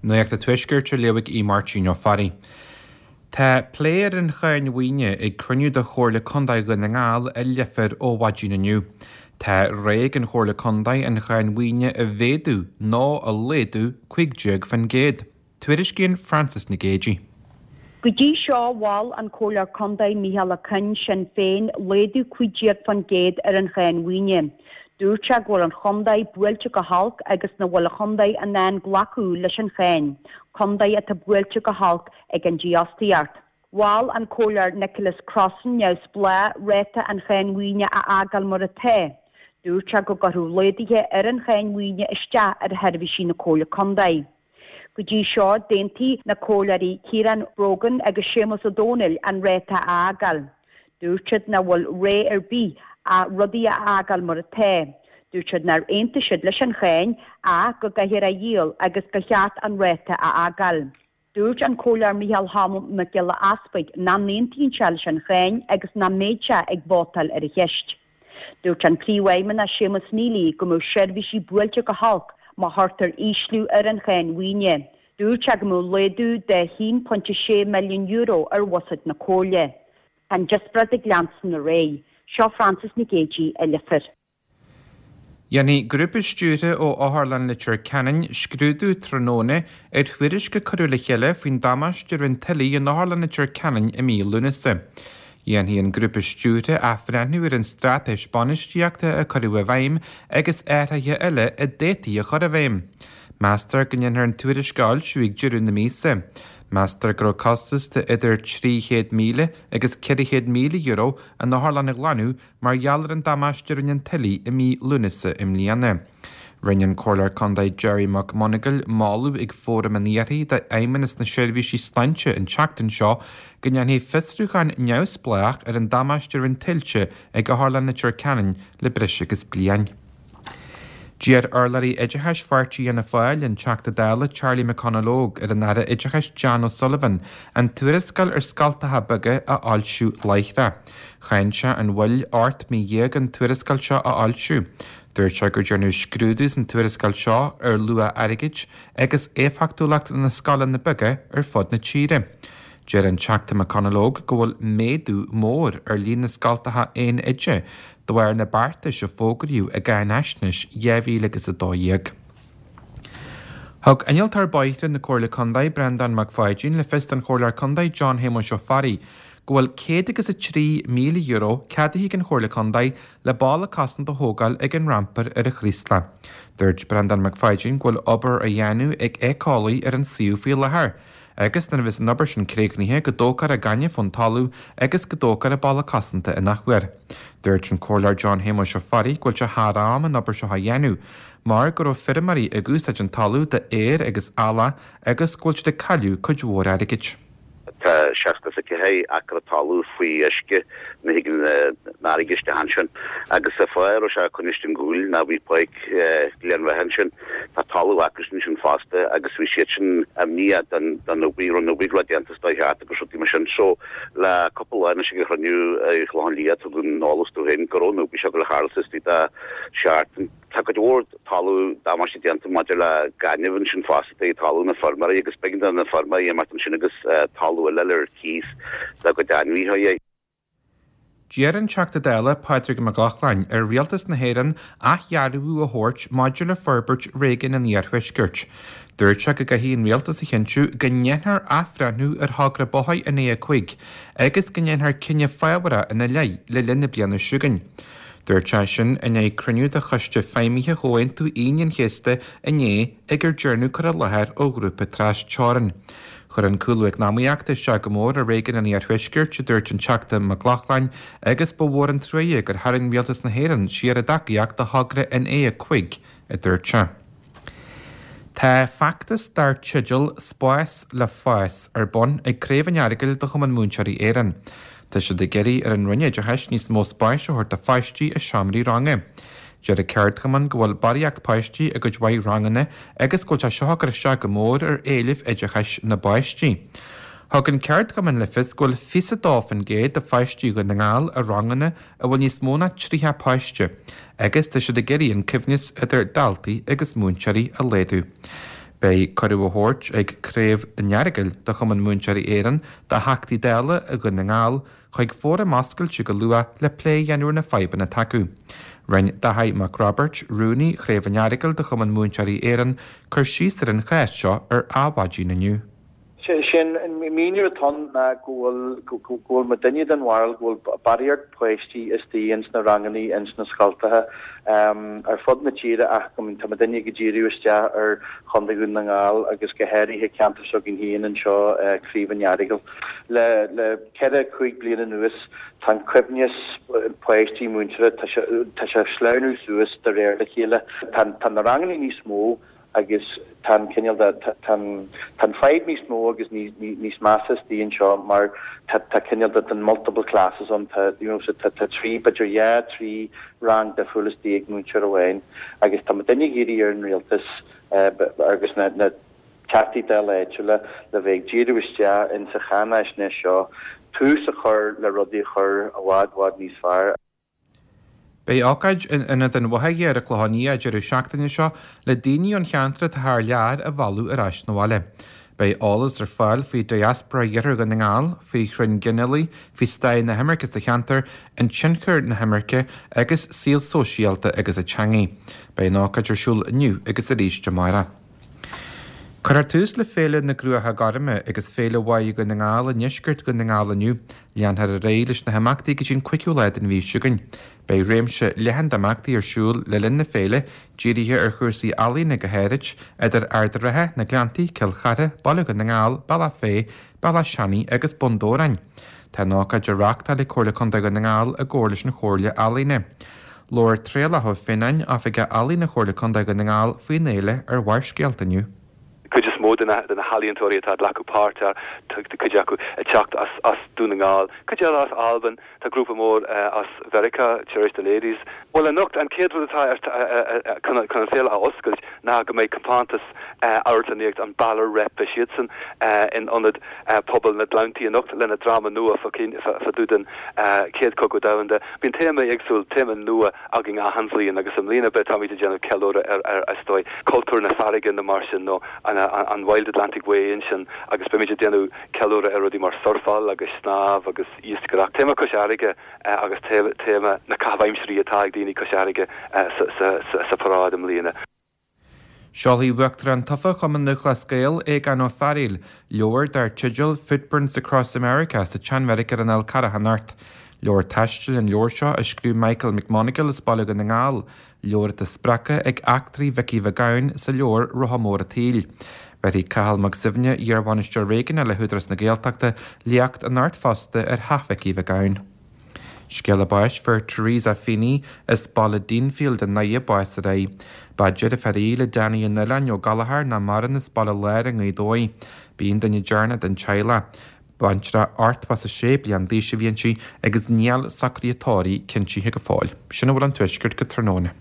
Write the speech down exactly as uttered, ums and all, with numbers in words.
Nuacht an Tuaiscirt á léamh ag Máirtín Ó Fearraigh. Tá plé ar an cháin mhaoine ag cruinniú de Chomhairle Contae Dhún na nGall i Leifear ó mhaidin inniu. Tá rogha ag an Chomhairle Contae an cháin mhaoine a mhéadú nó a laghdú cúig déag faoin gcéad. Tuairiscíonn Francis Nic Géadaigh. Go dtí seo mhol an Comhairleoir Contae Micheál Ó Coinn Sinn Féin laghdú cúig déag faoin gcéad ar an cháin mhaoine. Dúirt sé go bhfuil an chontae buailte go holc agus nach bhfuil an chontae in ann glacadh leis an cháin, contae atá buailte go holc ag an dífhostaíocht. Mhol an Comhairleoir Nicholas Crossan neamhspleách ráta an cháin mhaoine a fhágáil mar atá. Dúirt sé go gcuirfeadh laghduithe ar an cháin mhaoine isteach ar sheirbhísí na Comhairle Contae. Go dtí seo d'aontaigh na comhairleoirí Ciarán Brogan agus Séamus Ó Dónaill an ráta a fhágáil. Dúirt siad nach bhfuil rogha ar bith ach rudaí a fhágáil mar atá. Dúirt siad nár aontaigh siad leis an cháin ach go gcaithfear a dhíol agus gur cheart an ráta a fhágáil. Dúirt an Comhairleoir Micheál Cholm Mac Giolla Easpaig nach n-aontaíonn sé leis an cháin agus nach mbeidh sé ag vótáil ar an cheist. Dúirt an príomhfheidhmeannach Séamus Neely go mbeadh seirbhísí buailte go holc má chuirtear ísliú ar an cháin mhaoine. Dúirt sé go mbeadh laghdú de haon pointe sé milliún euro ar bhuiséad na Comhairle. An díospóireacht ag leanstan ar aghaidh, seo Francis Nic Géadaigh i Leifear. Dhéanfaidh grúpa stiúrtha ó Otharlann Leitir Ceanainn scrúdú tráthnóna ar thuairisc a cuireadh le chéile faoin damáiste a rinne tuile in Otharlann Leitir Ceanainn i mí Lúnasa. Dhéanfaidh an grúpa stiúrtha athbhreithniú ar an straitéis bainistíochta a cuireadh i bhfeidhm agus athruithe eile a d'fhéadfaí a chur i bhfeidhm. Meastar go ndéanfar an tuairisc a fhoilsiú ag deireadh na míosa. Meastar go raibh costas de idir trí chéad míle agus ceithre chéad míle euro an otharlann a ghlanadh mar gheall ar an damáiste a rinne an tuile i mí Lúnasa i mbliana. Rinne an Comhairleoir Contae Gerry McMonagall moladh ag Fóram an Iarthair d'Fheidhmeannas na Seirbhísí Sláinte an tseachtain seo go ndéanfaí fiosrúchán neamhspleách ar an damáiste a rinne tuilte ag Otharlann Leitir Ceanainn le breis agus bliain. D'iarr urlabhraí oideachais Pháirtí Fhianna Fáil an Teachta Dála Charlie McConalogue ar an Aire Oideachais Jan O'Sullivan an tuarascáil ar scoltacha beaga a fhoilsiú láithreach. Cháin sé an mhoill ocht mí dhéag an tuarascáil seo a fhoilsiú. Dúirt sé gur déanadh scrúdú san tuarascáil seo ar luach airgid agus éifeachtúlacht na scoileanna beaga ar fud na tíre. Deir an Teachta McConalogue go bhfuil méadú mór ar líon na scoltacha aon oide de bharr na beartais a fógraíodh i gcáinaisnéis dhá mhíle agus a dó dhéag. Thug innealtóir bóithre na Comhairle Contae Breandán Mac Pháidín le fios don Chomhairleoir Contae John Shéamuis Ó Fearraigh go bhfuil céad agus a trí míle euro ceadaithe ag an Chomhairle Contae le balla cosanta a thógáil ag an rampar ar an Chraoslach. Dúirt Breandán Mac Pháidín go bhfuil obair á dhéanamh ag éiceolaí ar an suíomh faoi láthair, agus nuair a bheas an obair sin críochnaithe go dtógfar an gaineamh ón talamh agus go dtógfar an balla cosanta in athuair. Dúirt an Comhairleoir John Shéamuis Ó Fearraigh go bhfuil sé thar am an obair seo a dhéanamh, mar go raibh feirmeoirí ag úsáid an talamh d'fhéar agus eallach agus go bhfuil siad ag cailleadh cuid mhór airgid. Tá seasca is a ceathair acra talamh faoi uisce ní thigeann an fharraige isteach ansin agus an fáth a raibh sé coinniste an gcúil ná bhí páirc Ghleann Bheatha ansin tá talamh acusan ansin fosta agus bhí siad sin imníoch don don obair raibh an obair le déanta is dóigh cheart agus rudaí mar sin so le cúpla lá anois ag an chruinniú i Chlochán Liath tugadh an eolas dó féin go raibh an obair seo ag dul a tharlú istigh de sheachtain. Tá cuid mhór talamh damáiste déanta maidir le gaineamh ansin fosta i talamh na feirmeoirí agus b'éigean do na feirmeoirí imeacht ansin agus talamh eile ar cíos dá gcuid ainmhithe. D'iarr an Teachta Dála Pádraig Mac Lochlainn ar Rialtas na hÉireann athdhearbhú a thabhairt maidir le forbairt réigiún an Iarthuaiscirt. Dúirt sé go gcaithfidh an Rialtas a chinntiú go ndéanfar athbhreithniú ar thogra bóthair an A a cúig agus go ndéanfar cinneadh fábharach ina leith le linn na bliana seo chugainn. Dúirt sé sin i ndiaidh cruinniú de choiste feidhmithe Chomhaontú Aoine an Chéasta inné ag ar dearnadh cur i láthair ó ghrúpa trasteorann. Chuir an cúlú eacnamaíochta isteach go mór ar réigiún an Iarthuaiscirt, a dúirt an Teachta Mac Lochlainn, agus ba mhór an truaighe gur tharraing Rialtas na hÉireann siar a dtacaíocht do thogra an A a cúig, a dúirt sé. Tá feachtas dar teideal Spás le Fás ar bun ag Craobh an Earagail de Chumann Múinteoirí Éireann. Tá siad ag iarraidh ar an Roinn Oideachais níos mó spáis a thabhairt do pháistí i seomraí ranga. Deir an ceardchumann go bhfuil barraíocht páistí i gcuid mhaith ranganna agus go bhfuil sé seo ag cur isteach go mór ar éilimh oideachais na bpáistí. Thug an ceardchumann le fios go bhfuil fiche a dó faoin gcéad de pháistí Dhún na nGall i ranganna a bhfuil níos mó ná tríocha páiste agus tá siad ag iarraidh an coibhneas idir daltaí agus múinteoirí a laghdú. Beidh cuireadh á thabhairt ag Craobh an Earagail de Chumann Múinteoirí Éireann do Theachtaí Dála i Dhún na nGall chuig fóram oscailte go luath le plé a dhéanamh ar na fadhbanna atá acu. Rinne Dáithí Mac Roibeairt, Rúnaí Chraobh an Earagail de Chumann Múinteoirí Éireann, cur síos ar an chás seo ar Adhmhaidin inniu. Sin míniú atá ann ná go bhfuil go bhfuil muidinne den bharúil go bhfuil barraíocht páistí istigh ins na rangannaí ins na scoltacha ar fud na tíre ach go tá muidinne ag díriú isteach ar Chontae Dhún na nGall agus go háirithe ceantar s'againn féin anseo Craobh an Earagail. Le le ceithre cúig bliana anuas tá an coibhneas páistí múinteoirí tá sé sleamhnú suas de réir le chéile. Tá na rangannaí níos mó agus tá an cineál de tá an fadhb níos mó agus níos measa istigh anseo mar tá cineál de den multiple classes ann tá you know, tá tá trí b'fhéidir dhá trí rang difriúil istigh ag múinteoir amháin agus tá muidinne ag iarraidh ar an rialtas agus na na teachtaí dála áitiúla le bheith ag díriú isteach in sa cháinaisnéis seo tús a chur le rudaí a chur i bhfad bhfad níos fearr. Beidh ócáid in Ionad an Bhothair ar an Chlochán Liath an deireadh seachtaine seo le daoine ón cheantar atá thar lear a mhealladh ar ais na bhaile. Beidh eolas ar fáil faoi diaspora Iarthar Dhún na nGall, faoi chrainn ghinealaigh, faoi stair na himirce sa cheantar, an tionchar na himirce agus saol sóisialta agus an teangaidh. Beidh an ócáid ar siúl inniu agus arís amárach. Cuirfear tús le Féile na gCruacha Gorma agus Féile Bháigh Dhún na nGall i ndeisceart Dhún na nGall inniu. Leanfar ar aghaidh leis na himeachtaí go dtí an cúigiú lá den mhí seo chugainn. Beidh réimse leathan d'imeachtaí ar siúl le linn na féile, dírithe ar chúrsaí ealaíne go háirid, idir Ard an Rátha, na Gleanntaí, Cill Chartha, Baile Dhún na nGall, Bealach Féich, Bealach Seanaidh agus Bun Dobhráin. Tá an ócáid á reáchtáil ag Comhairle Contae Dhún na nGall i gcomhar leis an Chomhairle Ealaíne. Labhair Traolach Ó Fionnáin, Oifigeach Ealaíne Chomhairle Contae Dhún na Ngall faoin fhéile ar Bharrscéalta inniu. Cuid is mó de na healaíontóirí atá ag glacadh páirt tá cuid acu ag teacht as as Dún na nGall, cuid eile as Albain, tá grúpa mór as Mheiriceá, Cherish the Ladies. Well anocht an chéad rud atá chun an féile a oscailt ná go mbeidh compántas amharclannaíocht an Balor Rep beidh siadsan in ionad pobal na Gleanntaí anocht lena dráma nua fá dtaobh den Chéad Chogadh Domhanda. Bíonn téama éagsúil téama nua againn achan bhliain agus i mbliana beidh táimid ag déanamh ceiliúradh ar ar is dóigh cultúr na farraige nó mar sin nó an an Wild Atlantic Way ansin agus beimid ag déanamh ceiliúradh ar rudaí mar surfáil agus snámh agus iascaireacht. Téama cois fharraige agus téama na caitheamh aimsirí atá ag daoine cois fharraige sa paráid i mbliana. Seolfaidh Uachtarán tofa Chumann Lúthchleas Gael Aogán Ó Fearghaíl leabhar dar teideal Footprints Across America sa tSean-Bheairic ar an Fhál Carrach anocht. Leabhar taistil an leabhar seo a scríobh Michael McMonagle as Baile Dhún na nGall, leabhar atá spreagtha ag eachtraí Mhicí Mhic Gabhann sa leabhar Rotha Mór an tSaoil. Bhéarfaidh Cathal Mac Suibhne, iarbhainisteoir réigiúnach le hÚdarás na Gaeltachta, léacht anocht fosta ar theach Mhicí Mhic Gabhann. Scéala báis fuair Teresa Feeney as Baile Deanfield i nDoire bás aréir. Ba deirfiúr í le Danny an Oileáin Ó Gallchóir nach maireann as Baile Láir i nGaoth Dobhair. B'í an duine deireanach den teaghlach. Baintreach ochtó is a sé bliain d'aois a bhí inti agus níl socruithe tórraimh cinntithe go fóill. Sin a bhfuil ón Tuaisceart go tráthnóna.